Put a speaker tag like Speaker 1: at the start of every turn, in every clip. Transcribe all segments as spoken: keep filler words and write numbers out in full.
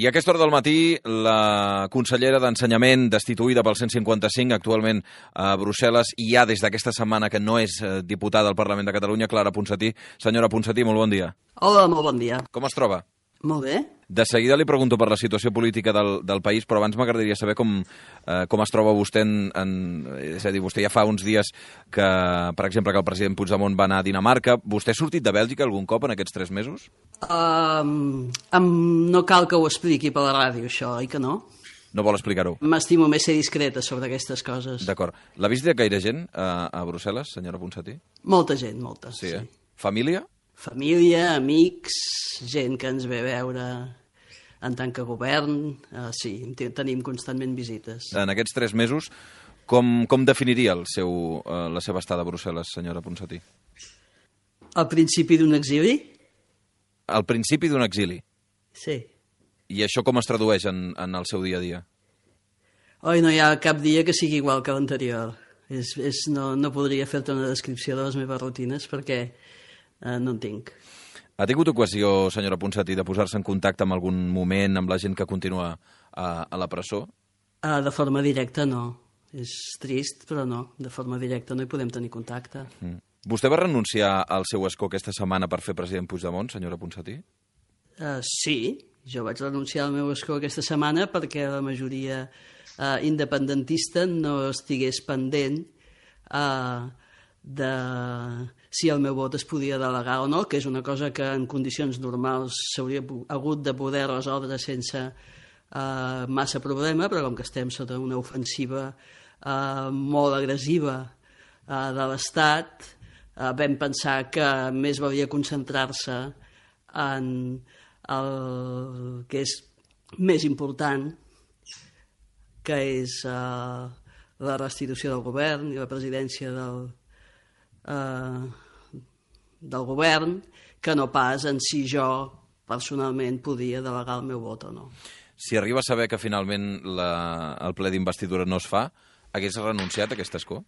Speaker 1: I a aquesta hora del matí, la consellera d'Ensenyament, destituïda pel cent cinquanta-cinc, actualment a Brussel·les, i ja des d'aquesta setmana que no és diputada al Parlament de Catalunya, Clara Ponsatí. Senyora Ponsatí, molt bon dia.
Speaker 2: Hola, molt bon dia.
Speaker 1: Com es troba?
Speaker 2: Molt bé.
Speaker 1: De seguida li pregunto per la situació política del, del país, però abans m'agradaria saber com, eh, com es troba vostè en, en... És a dir, vostè ja fa uns dies que, per exemple, que el president Puigdemont va anar a Dinamarca. Vostè ha sortit de Bèlgica algun cop en aquests tres mesos?
Speaker 2: Um, um, no cal que ho expliqui per la ràdio, això, oi que no?
Speaker 1: No vol explicar-ho?
Speaker 2: M'estimo més ser discreta sobre aquestes coses.
Speaker 1: D'acord. L'ha vist de gaire gent a, a Brussel·les, senyora Ponsatí?
Speaker 2: Molta gent, molta.
Speaker 1: Sí, eh? Família?
Speaker 2: Família, amics, gent que ens ve a veure en tant que govern. Uh, sí, tenim constantment visites.
Speaker 1: En aquests tres mesos, com, com definiria el seu, uh, la seva estada a Brussel·les, senyora Ponsatí?
Speaker 2: Al principi d'un exili?
Speaker 1: Al principi d'un exili?
Speaker 2: Sí.
Speaker 1: I això com es tradueix en, en el seu dia a dia?
Speaker 2: Oi, no hi ha cap dia que sigui igual que l'anterior. És, és, no, no podria fer-te una descripció de les meves rutines perquè uh, no en tinc.
Speaker 1: Ha tingut ocasió, senyora Ponsatí, de posar-se en contacte en algun moment amb la gent que continua a, a la presó?
Speaker 2: Uh, de forma directa, no. És trist, però no. De forma directa no hi podem tenir contacte.
Speaker 1: Mm. Vostè va renunciar al seu escó aquesta setmana per fer president Puigdemont, senyora Ponsatí?
Speaker 2: Uh, sí, jo vaig renunciar al meu escó aquesta setmana perquè la majoria uh, independentista no estigués pendent uh, de si el meu vot es podia delegar o no, que és una cosa que en condicions normals s'hauria hagut de poder resoldre sense uh, massa problema, però com que estem sota una ofensiva uh, molt agressiva uh, de l'Estat, uh, vam pensar que més valia concentrar-se en el que és més important, que és uh, la restitució del govern i la presidència del Uh, del govern, que no pas en si jo personalment podia delegar el meu vot o no.
Speaker 1: Si arriba a saber que finalment la, el ple d'investidura no es fa, hagués renunciat a aquest escó?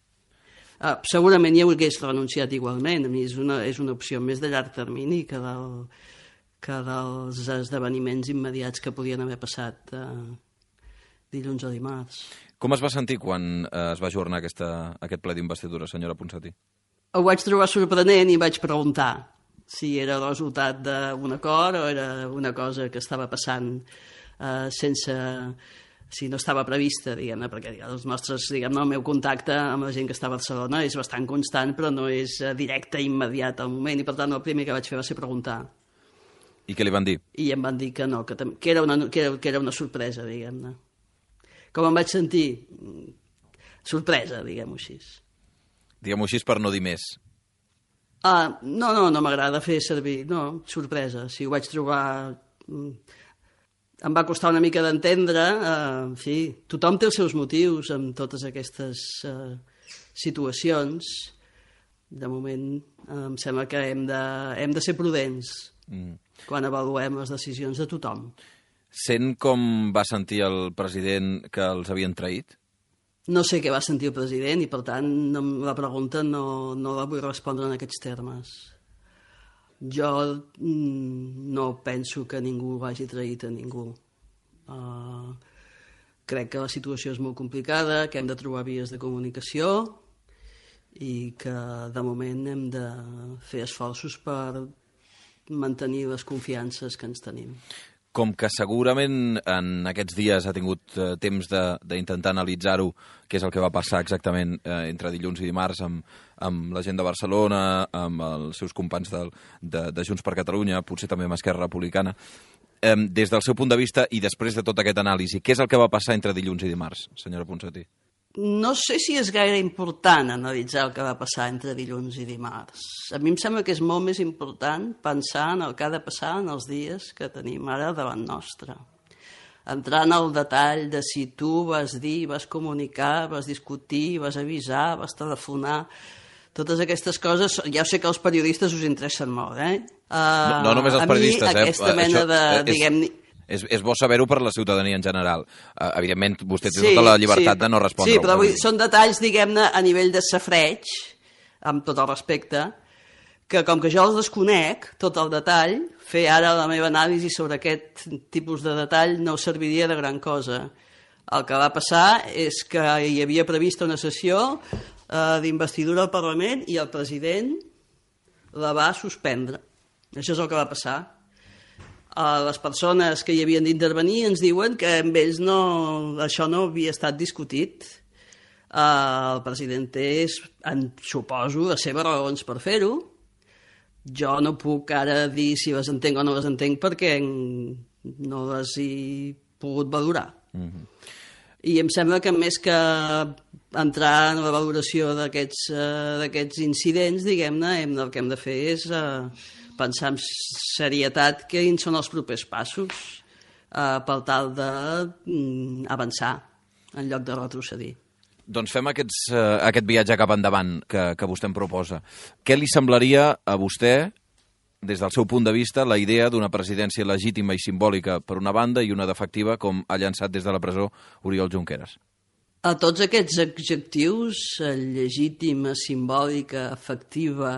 Speaker 2: Uh, segurament hi hagués renunciat igualment. A mi és una, és una opció més de llarg termini que, del, que dels esdeveniments immediats que podien haver passat uh, dilluns o dimarts.
Speaker 1: Com es va sentir quan uh, es va ajornar aquesta, aquest ple d'investidura, senyora Ponsatí?
Speaker 2: Ho vaig trobar sorprenent i vaig preguntar si era el resultat d'un acord o era una cosa que estava passant eh, sense... si no estava prevista, diguem-ne, perquè els nostres, diguem-ne, el meu contacte amb la gent que està a Barcelona és bastant constant, però no és directe i immediat al moment, i per tant el primer que vaig fer va ser preguntar.
Speaker 1: I què li van dir?
Speaker 2: I em van dir que no, que, que, era, una, que, era, que era una sorpresa, diguem-ne. Com em vaig sentir? Sorpresa, diguem-ho així.
Speaker 1: Diguem-ho així per no dir més.
Speaker 2: Ah, no, no, no m'agrada fer servir... No, sorpresa. Si ho vaig trobar... Em va costar una mica d'entendre. Uh, sí, tothom té els seus motius amb totes aquestes uh, situacions. De moment, uh, em sembla que hem de, hem de ser prudents mm. quan avaluem les decisions de tothom.
Speaker 1: Sent com va sentir el president que els havien traït?
Speaker 2: No sé què va sentir el president i, per tant, no, la pregunta no, no la vull respondre en aquests termes. Jo mm, no penso que ningú hagi traït a ningú. Uh, crec que la situació és molt complicada, que hem de trobar vies de comunicació i que, de moment, hem de fer esforços per mantenir les confiances que ens tenim.
Speaker 1: Com que segurament en aquests dies ha tingut eh, temps d'intentar analitzar-ho, què és el que va passar exactament eh, entre dilluns i dimarts amb, amb la gent de Barcelona, amb els seus companys de, de, de Junts per Catalunya, potser també amb Esquerra Republicana, eh, des del seu punt de vista i després de tot aquest anàlisi, què és el que va passar entre dilluns i dimarts, senyora Ponsatí?
Speaker 2: No sé si és gaire important analitzar el que va passar entre dilluns i dimarts. A mi em sembla que és molt més important pensar en el que ha de passar en els dies que tenim ara davant nostre. Entrar en el detall de si tu vas dir, vas comunicar, vas discutir, vas avisar, vas telefonar... Totes aquestes coses, ja sé que els periodistes us interessen molt, eh? Uh,
Speaker 1: no, no només els periodistes, eh?
Speaker 2: A mi aquesta mena de,
Speaker 1: és...
Speaker 2: diguem...
Speaker 1: És, és bo saber-ho per la ciutadania en general. Uh, evidentment, vostè té sí, tota la llibertat sí, de no respondre.
Speaker 2: Sí, però vull, són detalls, diguem-ne, a nivell de safreig, amb tot el respecte, que com que jo els desconec, tot el detall, fer ara la meva anàlisi sobre aquest tipus de detall no serviria de gran cosa. El que va passar és que hi havia prevista una sessió eh, d'investidura al Parlament i el president la va suspendre. Això és el que va passar. Eh, les persones que hi havien d'intervenir ens diuen que amb ells no, això no havia estat discutit. Eh, el president té, en, suposo, les seves raons per fer-ho. Jo no puc ara dir si les entenc o no les entenc perquè no les he pogut valorar. Mm-hmm. I em sembla que més que entrar en la valoració d'aquests uh, d'aquests incidents, diguem-ne, hem, el que hem de fer és uh, pensar amb serietat quins són els propers passos uh, per tal d'avançar um, en lloc de retrocedir.
Speaker 1: Doncs fem aquests, uh, aquest viatge cap endavant que, que vostè em proposa. Què li semblaria a vostè, des del seu punt de vista, la idea d'una presidència legítima i simbòlica per una banda i una d'efectiva com ha llançat des de la presó Oriol Junqueras?
Speaker 2: A tots aquests adjectius, legítima, simbòlica, efectiva,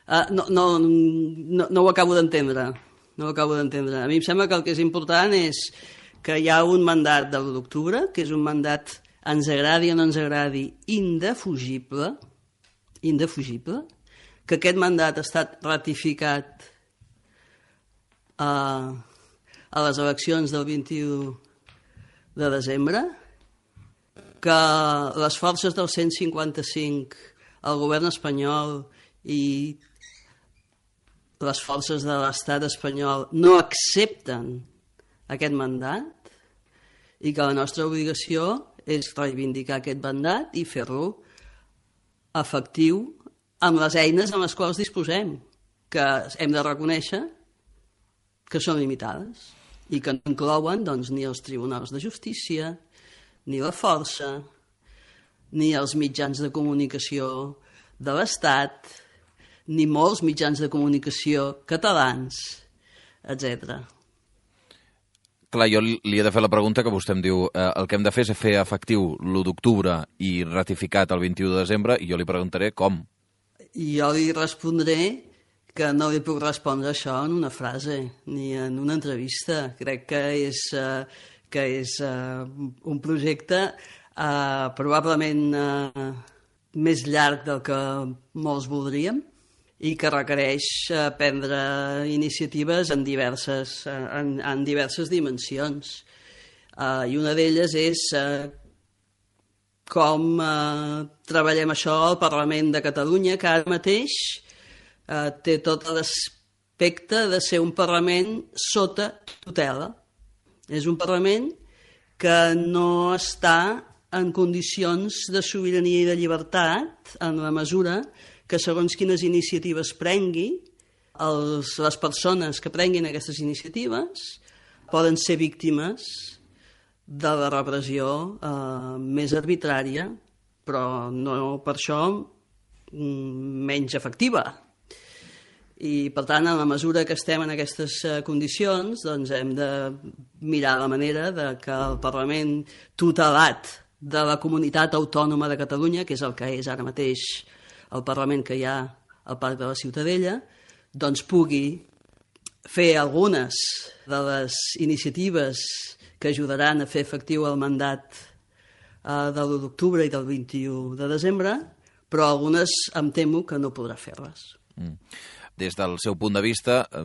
Speaker 2: eh, no, no, no, no ho acabo d'entendre. No ho acabo d'entendre. A mi em sembla que el que és important és que hi ha un mandat de l'u d'octubre, que és un mandat, ens agradi o no ens agradi, indefugible, indefugible, que aquest mandat ha estat ratificat a, a les eleccions del vint-i-u de desembre, que les forces del cent cinquanta-cinc, el govern espanyol i les forces de l'estat espanyol no accepten aquest mandat i que la nostra obligació és reivindicar aquest mandat i fer-lo efectiu amb les eines amb les quals disposem, que hem de reconèixer que són limitades i que no inclouen doncs, ni els tribunals de justícia, ni la força, ni els mitjans de comunicació de l'Estat, ni molts mitjans de comunicació catalans, etcètera.
Speaker 1: Clar, jo li he de fer la pregunta que vostè em diu eh, el que hem de fer és fer efectiu l'u d'octubre i ratificat el vint-i-u de desembre, i jo li preguntaré com.
Speaker 2: I jo li respondré que no li puc respondre això en una frase ni en una entrevista. Crec que és, uh, que és uh, un projecte uh, probablement uh, més llarg del que molts voldríem i que requereix uh, prendre iniciatives en diverses, uh, en, en diverses dimensions. Uh, I una d'elles és uh, com eh, treballem això al Parlament de Catalunya, que ara mateix eh, té tot l'aspecte de ser un Parlament sota tutela. És un Parlament que no està en condicions de sobirania i de llibertat en la mesura que segons quines iniciatives prengui, els, les persones que prenguin aquestes iniciatives poden ser víctimes de la repressió eh, més arbitrària, però no per això menys efectiva. I, per tant, en la mesura que estem en aquestes eh, condicions, doncs hem de mirar la manera de que el Parlament tutelat de la Comunitat Autònoma de Catalunya, que és el que és ara mateix el Parlament que hi ha al Parc de la Ciutadella, doncs pugui fer algunes de les iniciatives que ajudaran a fer efectiu el mandat eh, de l'u d'octubre i del vint-i-u de desembre, però algunes em temo que no podrà fer-les.
Speaker 1: Mm. Des del seu punt de vista, eh,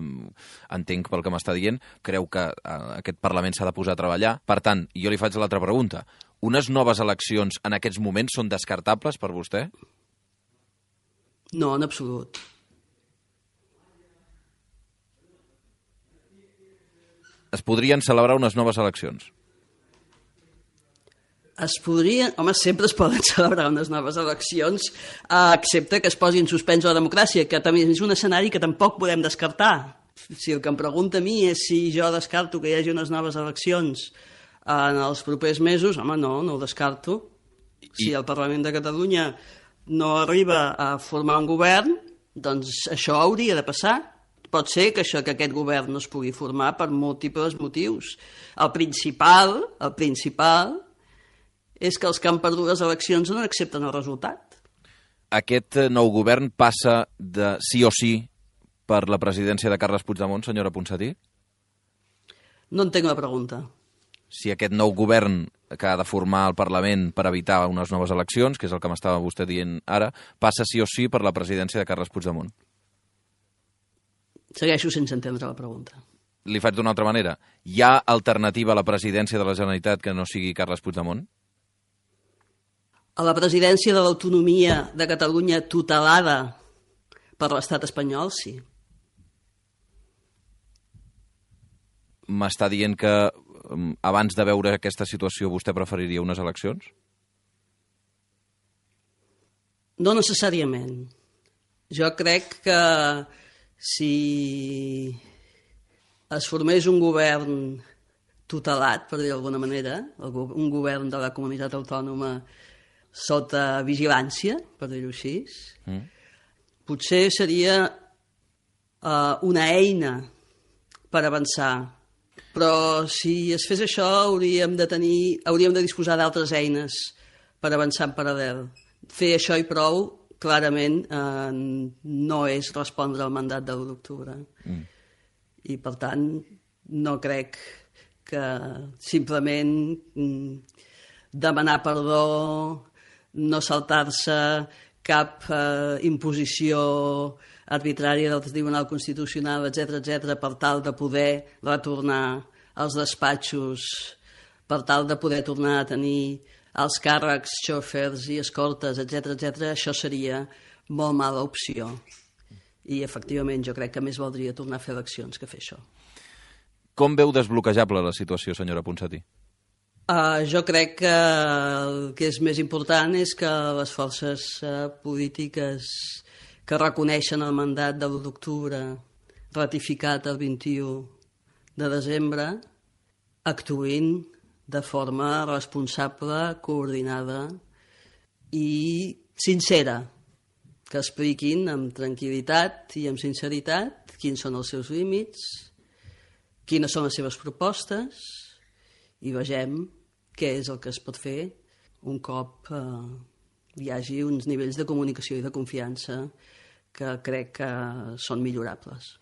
Speaker 1: entenc pel que m'està dient, creu que eh, aquest Parlament s'ha de posar a treballar. Per tant, jo li faig l'altra pregunta. Unes noves eleccions en aquests moments són descartables per vostè?
Speaker 2: No, en absolut.
Speaker 1: Es podrien celebrar unes noves eleccions?
Speaker 2: Es podrien... Home, sempre es poden celebrar unes noves eleccions, eh, excepte que es posi en suspens la democràcia, que també és un escenari que tampoc podem descartar. Si el que em pregunta a mi és si jo descarto que hi hagi unes noves eleccions en els propers mesos, home, no, no ho descarto. I... Si el Parlament de Catalunya no arriba a formar un govern, doncs això hauria de passar. Pot ser que això que aquest govern no es pugui formar per múltiples motius. El principal, el principal és que els que han perdut les eleccions no accepten el resultat.
Speaker 1: Aquest nou govern passa de sí o sí per la presidència de Carles Puigdemont, senyora Ponsatí?
Speaker 2: No entenc la pregunta.
Speaker 1: Si aquest nou govern que ha de formar el Parlament per evitar unes noves eleccions, que és el que m'estava vostè dient ara, passa sí o sí per la presidència de Carles Puigdemont.
Speaker 2: Segueixo sense entendre la pregunta.
Speaker 1: Li faig d'una altra manera. Hi ha alternativa a la presidència de la Generalitat que no sigui Carles Puigdemont?
Speaker 2: A la presidència de l'autonomia de Catalunya tutelada per l'estat espanyol, sí.
Speaker 1: M'està dient que abans de veure aquesta situació vostè preferiria unes eleccions?
Speaker 2: No necessàriament. Jo crec que si es formés un govern tutelat, per dir d'alguna manera, un govern de la comunitat autònoma sota vigilància, per dir-ho així, mm. potser seria uh, una eina per avançar. Però si es fes això hauríem de tenir, hauríem de disposar d'altres eines per avançar en paral·lel. Fer això i prou, clarament, eh, no és respondre al mandat de l'u d'octubre. Mm. I, per tant, no crec que simplement mm, demanar perdó, no saltar-se cap eh, imposició arbitrària del Tribunal Constitucional, etcètera, etcètera, per tal de poder retornar als despatxos, per tal de poder tornar a tenir els càrrecs, xòfers i escortes, etcètera, etcètera, això seria molt mala opció. I, efectivament, jo crec que més valdria tornar a fer eleccions que fer això.
Speaker 1: Com veu desbloquejable la situació, senyora Ponsatí?
Speaker 2: Uh, jo crec que el que és més important és que les forces uh, polítiques que reconeixen el mandat de l'u d'octubre ratificat el vint-i-u de desembre actuïn de forma responsable, coordinada i sincera, que expliquin amb tranquil·litat i amb sinceritat quins són els seus límits, quines són les seves propostes i vegem què és el que es pot fer un cop eh, hi hagi uns nivells de comunicació i de confiança que crec que són millorables.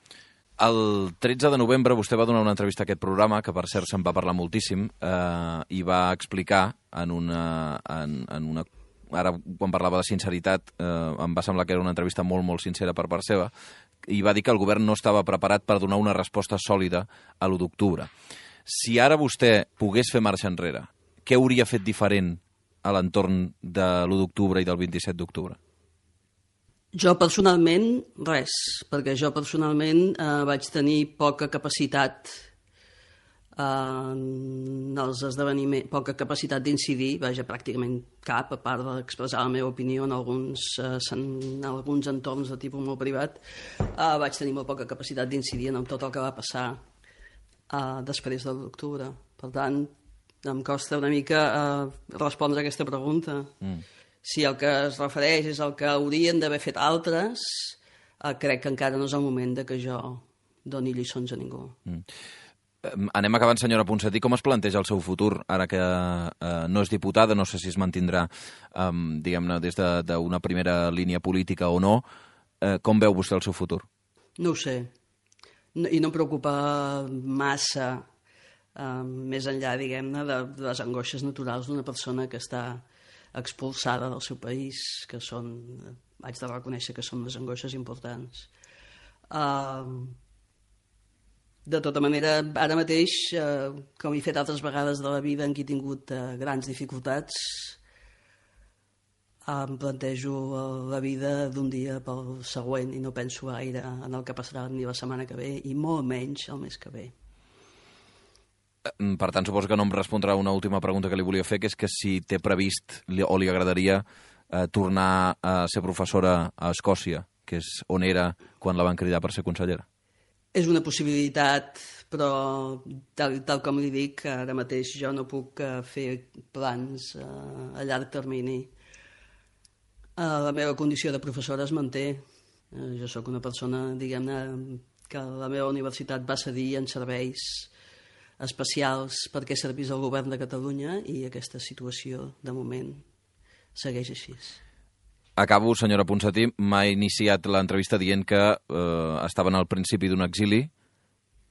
Speaker 1: El tretze de novembre vostè va donar una entrevista a aquest programa, que per cert se'n va parlar moltíssim, eh, i va explicar en una, en, en una... Ara, quan parlava de sinceritat, eh, em va semblar que era una entrevista molt, molt sincera per part seva, i va dir que el govern no estava preparat per donar una resposta sòlida a l'u d'octubre. Si ara vostè pogués fer marxa enrere, què hauria fet diferent a l'entorn de l'u d'octubre i del vint-i-set d'octubre?
Speaker 2: Jo personalment, res, perquè jo personalment eh, vaig tenir poca capacitat eh, en els esdeveniments, poca capacitat d'incidir, vaja, pràcticament cap, a part d'expressar la meva opinió en alguns, eh, en alguns entorns de tipus molt privat, eh, vaig tenir molt poca capacitat d'incidir en tot el que va passar eh, després de l'octubre. Per tant, em costa una mica eh, respondre a aquesta pregunta. Mm. Si el que es refereix és el que haurien d'haver fet altres, eh, crec que encara no és el moment de que jo doni lliçons a ningú. Mm.
Speaker 1: Anem acabant, senyora Ponsatí. Com es planteja el seu futur, ara que eh, no és diputada, no sé si es mantindrà eh, diguem-ne, des d'una primera línia política o no, eh, com veu vostè el seu futur?
Speaker 2: No ho sé. No, I no em preocupa massa, eh, més enllà, diguem-ne, de, de les angoixes naturals d'una persona que està expulsada del seu país, que són, haig de reconèixer que són unes angoixes importants. Uh, de tota manera, ara mateix, uh, com he fet altres vegades de la vida en què he tingut uh, grans dificultats, uh, em plantejo uh, la vida d'un dia pel següent i no penso gaire en el que passarà ni la setmana que ve i molt menys el mes que ve.
Speaker 1: Per tant, suposo que no em respondrà una última pregunta que li volia fer, que és que si té previst o li agradaria eh, tornar a ser professora a Escòcia, que és on era quan la van cridar per ser consellera.
Speaker 2: És una possibilitat, però tal, tal com li dic, ara mateix jo no puc uh, fer plans uh, a llarg termini. Uh, la meva condició de professora es manté. Uh, jo sóc una persona, diguem-ne, que la meva universitat va cedir en serveis especials perquè servís al govern de Catalunya i aquesta situació, de moment, segueix així.
Speaker 1: acabo, senyora Ponsatí, m'ha iniciat l'entrevista dient que eh, estaven al principi d'un exili.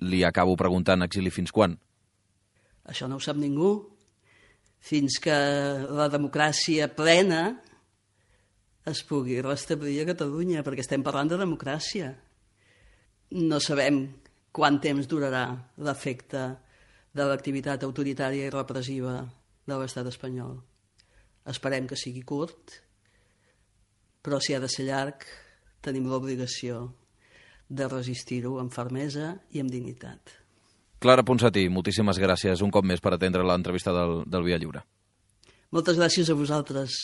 Speaker 1: Li acabo preguntant exili fins quan?
Speaker 2: Això no ho sap ningú. Fins que la democràcia plena es pugui restablir a Catalunya, perquè estem parlant de democràcia. No sabem quant temps durarà l'efecte de l'activitat autoritària i repressiva de l'estat espanyol. Esperem que sigui curt, però si ha de ser llarg, tenim l'obligació de resistir-ho amb fermesa i amb dignitat.
Speaker 1: Clara Ponsatí, moltíssimes gràcies un cop més per atendre l'entrevista del, del Via Lliure.
Speaker 2: Moltes gràcies a vosaltres.